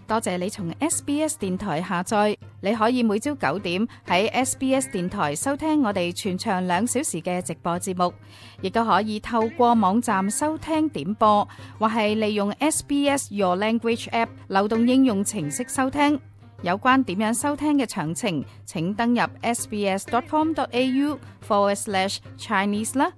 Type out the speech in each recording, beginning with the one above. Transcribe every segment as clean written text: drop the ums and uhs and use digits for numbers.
多謝你從 SBS 電台下載，你可以每朝9點喺 SBS 電台收聽我哋全長2小時嘅直播節目，亦都可以透過網站收聽點播，或係利用 SBS Your Language App 流動應用程式收聽。有關點樣收聽嘅詳情，請登入 sbs.com.au/Chinese 啦。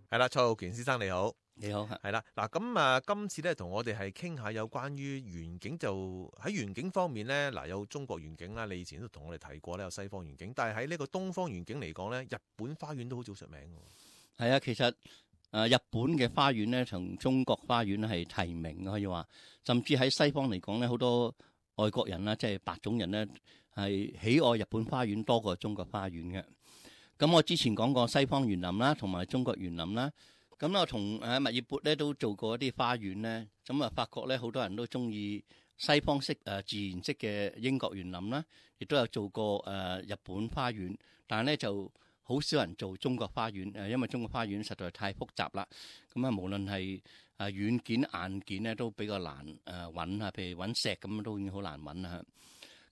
係啦，蔡浩權先生你好。你好，係啦，嗱咁今次咧同我哋係傾下有關於園景，就喺園景方面咧，嗱有中國園景啦，你以前都同我哋提過咧，有西方園景，但係喺呢個東方園景嚟講咧，日本花園都好早出名嘅。係啊，其實日本嘅花園咧，同中國花園係提名嘅，可以話，甚至喺西方嚟講咧，好多外國人啦，即係白種人咧，係喜愛日本花園多過中國花園嘅。咁我之前講過西方園林啦，同埋中國園林啦。咁我同喺墨爾本咧都做過一啲花園咧，咁啊發覺咧好多人都中意西方式自然式嘅英國園林啦，亦都有做過日本花園，但係咧就好少人做中國花園，因為中國花園實在太複雜啦。咁啊無論係軟件硬件咧都比較難揾啊，譬如揾石咁都已經好難揾啦。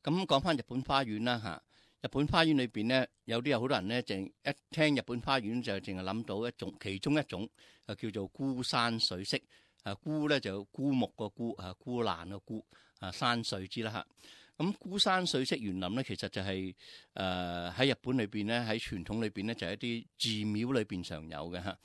咁講翻日本花園啦嚇。日本花園裏邊咧，有好多人咧，淨一聽日本花園就淨係諗到其中一種，叫做孤山水式。孤咧就孤木個孤，孤爛個孤，山水之啦嚇。咁孤山水式園林咧，其實就係喺日本裏邊咧，喺傳統裏邊咧，就係一啲寺廟裏邊常有嘅嚇。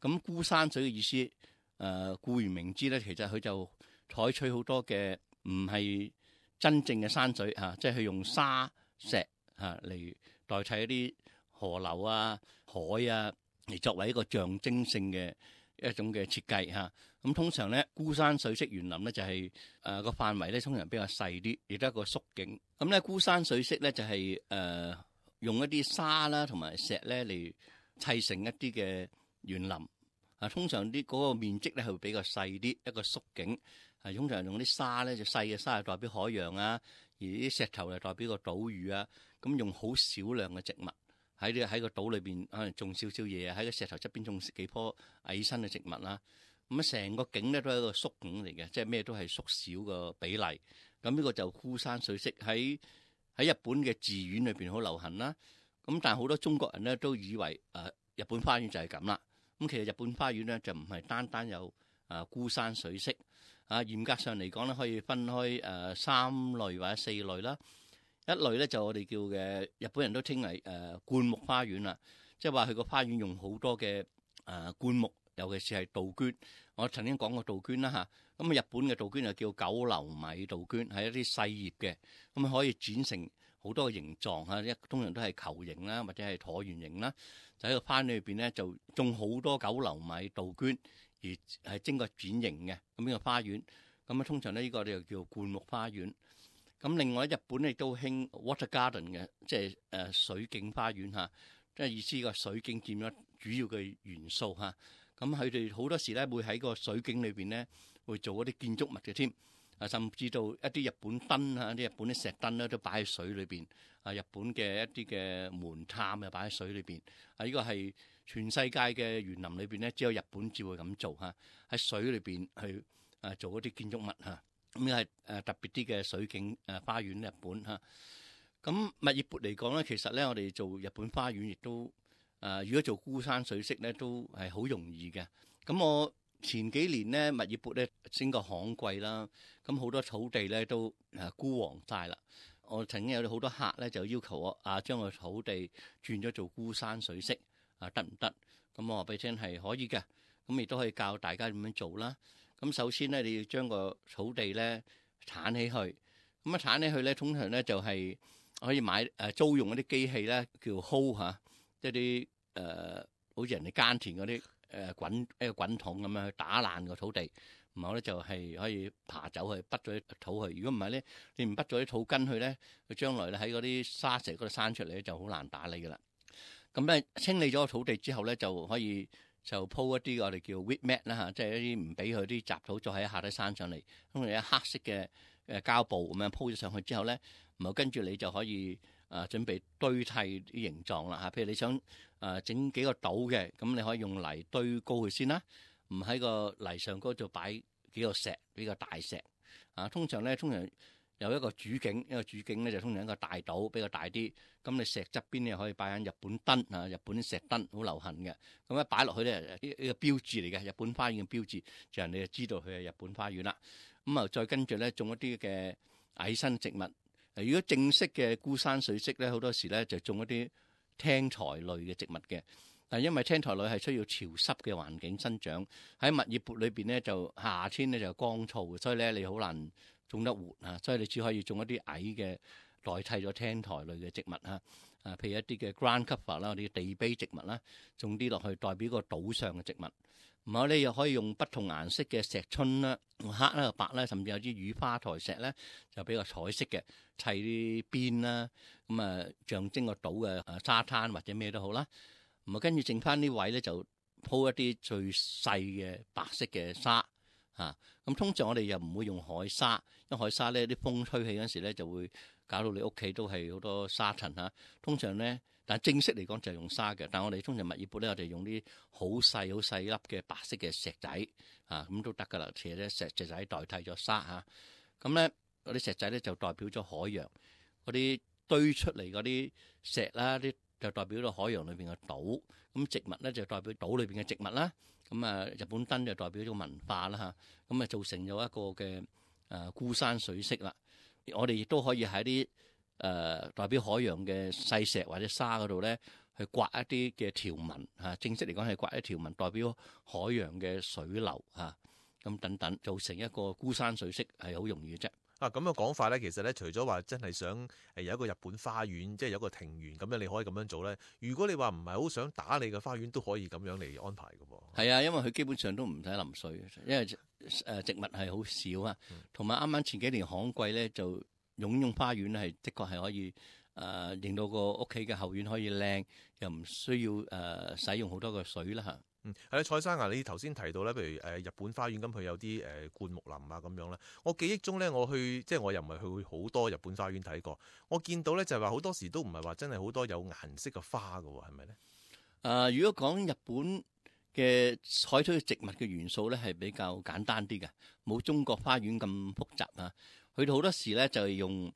咁孤山水嘅意思，顧名明知咧，其實佢就採取好多嘅唔係真正嘅山水嚇，即係佢用沙石嚟代替一啲河流啊、海啊，嚟作為一個象徵性嘅一種嘅設計嚇。咁通常咧，孤山水式園林咧就係個範圍咧通常比較細啲，亦都係一個縮景。咁咧孤山水式咧就係用一啲沙啦同埋石咧嚟砌成一啲嘅園林。通常啲嗰個面積咧係會比較細啲，一個縮景。通常用啲沙咧就細嘅沙係代表海洋啊，而啲石頭就代表個島嶼啊。咁用好少量嘅植物喺個島裏邊，可能種少少嘢啊，喺個石頭側邊種幾棵矮身嘅植物啦。咁啊，成個景咧都係一個縮景嚟嘅，即係咩都係縮小個比例。咁呢個就孤山水式喺日本嘅寺院裏邊好流行啦。咁但係好多中國人咧都以為日本花園就係咁啦。咁其實日本花園咧就唔係單單有孤山水式。嚴格上嚟講咧，可以分開3類或者4類啦。一類咧就我哋叫嘅日本人都稱為灌木花園啦，即係話佢個花園用好多嘅灌木，尤其是係杜鵑。我曾經講過杜鵑啦嚇，咁日本嘅杜鵑就叫九流米杜鵑，係一啲細葉嘅，咁可以剪成好多個形狀嚇，通常都係球形啦或者係橢圓形啦。就喺個花園裏邊咧就種好多九流米杜鵑，而係經過剪形嘅咁呢個花園。咁通常咧呢個就叫灌木花園。咁另外日本亦都興 water garden 嘅，即係水景花園嚇，即係意思個水景佔咗主要嘅元素嚇。咁佢哋好多時咧會喺個水景裏邊咧會做一啲建築物嘅添，甚至到一啲日本燈啊，啲日本啲石燈咧都擺喺水裏邊。日本嘅一啲嘅門檻又擺喺水裏邊。呢個係全世界嘅園林裏邊咧，只有日本至會咁做嚇，喺水裏邊去做一啲建築物嚇。咁係特別啲嘅水景花園日本嚇。咁墨爾本嚟講咧，其實咧我哋做日本花園亦都如果做孤山水式咧都係好容易嘅。咁我前幾年咧墨爾本咧升個旱季啦，咁好多土地咧都枯黃晒啦。我曾經有好多客咧就要求我將個土地轉咗做孤山水式得唔得？咁我話俾你聽係可以嘅，咁亦都可以教大家點樣做啦。咁首先咧，你要將個土地咧剷起去。咁剷起去咧，通常咧就係可以買租用嗰啲機器咧，叫 hoe 嚇，一啲好似人哋耕田嗰啲一個滾筒咁樣去打爛個土地，然後咧就係可以爬走去，滗咗啲土去。如果唔係咧，你唔滗咗啲土根去咧，佢將來咧喺嗰啲沙石嗰度生出嚟咧就好難打理噶啦。咁咧清理咗個土地之後咧，就可以就鋪一啲我哋叫 weed mat 啦嚇，即係一啲唔俾佢啲雜土再喺下底生上嚟。咁你一黑色嘅膠布咁樣鋪咗上去之後咧，然後跟住你就可以準備堆砌啲形狀啦嚇。譬如你想整幾個島嘅，咁你可以用泥堆高佢先啦，唔喺個泥上高度擺幾個石，比較大石啊。通常有一個主景，一個主景咧就通常一個大島比較大啲。咁你石側邊咧可以擺緊日本燈啊，日本石燈好流行嘅。咁一擺落去咧，呢個標誌嚟嘅，日本花園嘅標誌，就人哋就知道佢係日本花園啦。咁啊，再跟住咧種一啲嘅矮身植物。如果正式嘅孤山水色咧，好多時咧就種一啲青苔類嘅植物嘅。但因為青苔類係需要潮濕嘅環境生長，喺蜜月缽裏邊咧就夏天咧就乾燥，所以咧你好難種得活啊。所以你只可以種一啲矮嘅代替咗青苔類嘅植物啊。譬如一啲嘅 ground cover 啦，我哋嘅地碑植物啦，種啲落去代表個島上嘅植物。唔好咧，又可以用不同顏色嘅石春啦，黑啦、白啦，甚至有啲雨花台石咧，就比較彩色嘅砌啲邊啦，咁啊象徵個島嘅沙灘或者咩都好啦。咁啊跟住剩翻呢位咧就鋪一啲最細嘅白色嘅沙嚇。咁通常我哋又唔會用海沙，因為海沙咧啲風吹起嗰陣時咧就會搞到你屋企都係好多沙塵嚇。通常咧，但正式嚟講就係用沙嘅，但我哋通常蜜月缽咧，我哋用啲好細粒嘅白色嘅石仔啊，咁都得噶啦。其實咧石仔代替咗沙嚇，咁咧嗰啲石仔咧就代表咗海洋，嗰啲堆出嚟嗰啲石啦，啲就代表咗海洋裏邊嘅島。咁植物咧就代表島裏邊嘅植物啦。咁啊日本燈就代表咗文化啦嚇。咁啊造成咗一個嘅孤山水色啦。我哋亦都可以喺啲代表海洋嘅細石或者沙嗰度咧，去刮一啲嘅條紋嚇。正式嚟講係刮一條紋，代表海洋嘅水流嚇。咁等等，造成一個孤山水色係好容易嘅啫。咁嘅講法咧，其實咧，除咗話真係想有一個日本花園，即係有一個庭園咁樣，你可以咁樣做咧。如果你話唔係好想打理嘅花園，都可以咁樣嚟安排嘅喎。係啊，因為佢基本上都唔使淋水，因為植物係好少啊。同埋啱啱前幾年旱季咧，就用花園咧係的確係可以令到個屋企嘅後院可以靚，又唔需要使用好多嘅水啦嚇。係啦，蔡生啊，你頭先提到咧，譬如日本花園咁，佢有啲灌木林啊咁樣啦。我記憶中咧，即係我又唔係去好多日本花園睇過。我見到咧就係話好多時都唔係話真係好多有顏色嘅花㗎喎，係咪咧？如果講日本嘅採取植物嘅元素咧，係比較簡單啲嘅，冇中國花園咁複雜啊。佢哋好多時咧就係用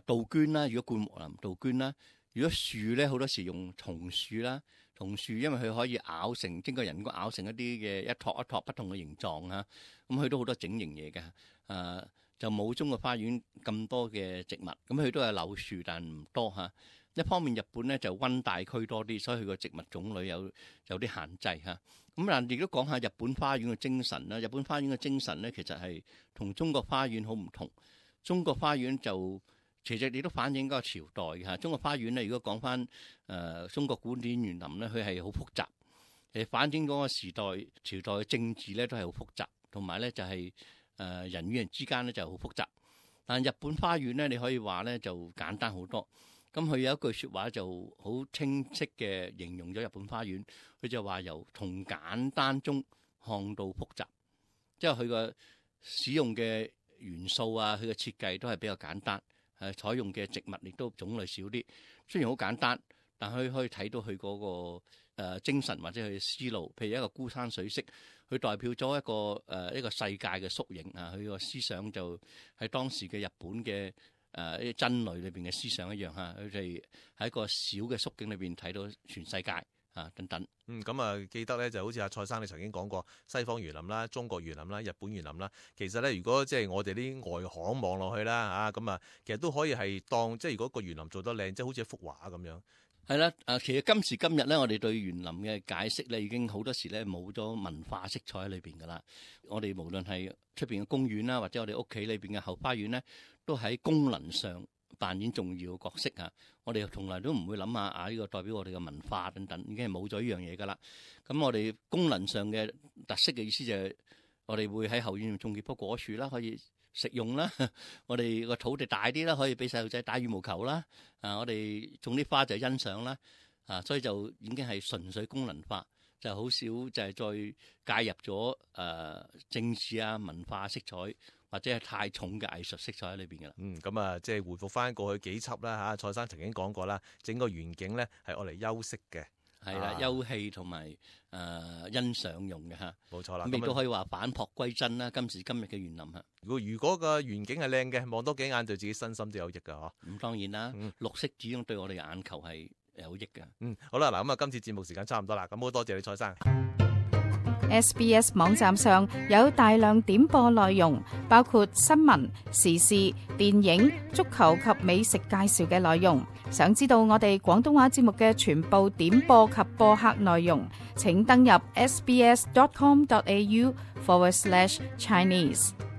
杜鵑啦，如果灌木林杜鵑啦。如果樹咧，好多時用松樹啦，松樹因為佢可以咬成經過人工咬成一啲嘅一托一托不同嘅形狀啊，咁佢都好多整形嘢嘅，就冇中國花園咁多嘅植物，咁佢都係柳樹，但唔多嚇。一方面日本咧就溫帶區多啲，所以佢個植物種類有啲限制嚇。咁但亦都講下日本花園嘅精神啦。日本花園嘅精神咧，其實係同中國花園好唔同。中國花園就其實你都反映嗰個朝代嘅嚇。中國花園咧，如果講翻中國古典園林咧，佢係好複雜，反映嗰個時代朝代嘅政治咧都係好複雜，同埋咧就係人與人之間咧就好複雜。但日本花園咧，你可以話咧就簡單好多。咁佢有一句説話就好清晰嘅形容咗日本花園，佢就話由從簡單中看到複雜，即係佢個使用嘅元素啊，佢嘅設計都係比較簡單，採用嘅植物亦都種類少啲。雖然好簡單，但佢可以睇到佢嗰個精神或者佢嘅思路。譬如一個孤山水色，佢代表咗一個世界嘅縮影啊！佢個思想就喺當時嘅日本嘅啲真理裏邊嘅思想一樣嚇，佢哋喺一個小嘅縮景裏邊睇到全世界啊等等。咁啊記得咧就好似阿蔡生你曾經講過，西方園林啦、中國園林啦、日本園林啦，其實咧如果即係我哋啲外行望落去啦嚇，咁啊其實都可以係當即係如果個園林做得靚，即係好似一幅畫咁樣。係啦，其實今時今日咧，我哋對園林嘅解釋咧，已經好多時咧冇咗文化色彩喺裏邊噶啦。我哋無論係出邊嘅公園啦，或者我哋屋企裏邊嘅後花園咧，都喺功能上扮演重要嘅角色啊！我哋從來都唔會諗下呢個代表我哋嘅文化等等，已經係冇咗呢樣嘢噶啦。咁我哋功能上嘅特色嘅意思就係，我哋會喺後院種幾棵果樹啦，可以食用啦。我哋個土地大啲啦，可以俾細路仔打羽毛球啦。我哋種啲花就欣賞啦。所以就已經係純粹功能化，就好少就係再介入咗政治啊、文化色彩或者係太重嘅藝術色彩喺裏邊㗎啦。咁啊，即係回復翻過去幾輯啦嚇。蔡生曾經講過啦，整個園景咧係愛嚟休息嘅。係啦，休憩同埋欣賞用嘅嚇。冇錯啦，咁亦都可以話返璞歸真啦。今時今日嘅園林嚇。如果個園景係靚嘅，望多幾眼對自己身心都有益㗎嗬。咁當然啦，綠色始終對我哋嘅眼球係有益嘅。好啦，嗱咁啊，今次節目時間差唔多啦，咁好多謝你蔡生。SBS 網站上有大量點播內容，包括新聞、時事、電影、足球及美食介紹嘅內容。想知道我哋廣東話節目嘅全部點播及播客內容，請登入sbs.com.au/Chinese。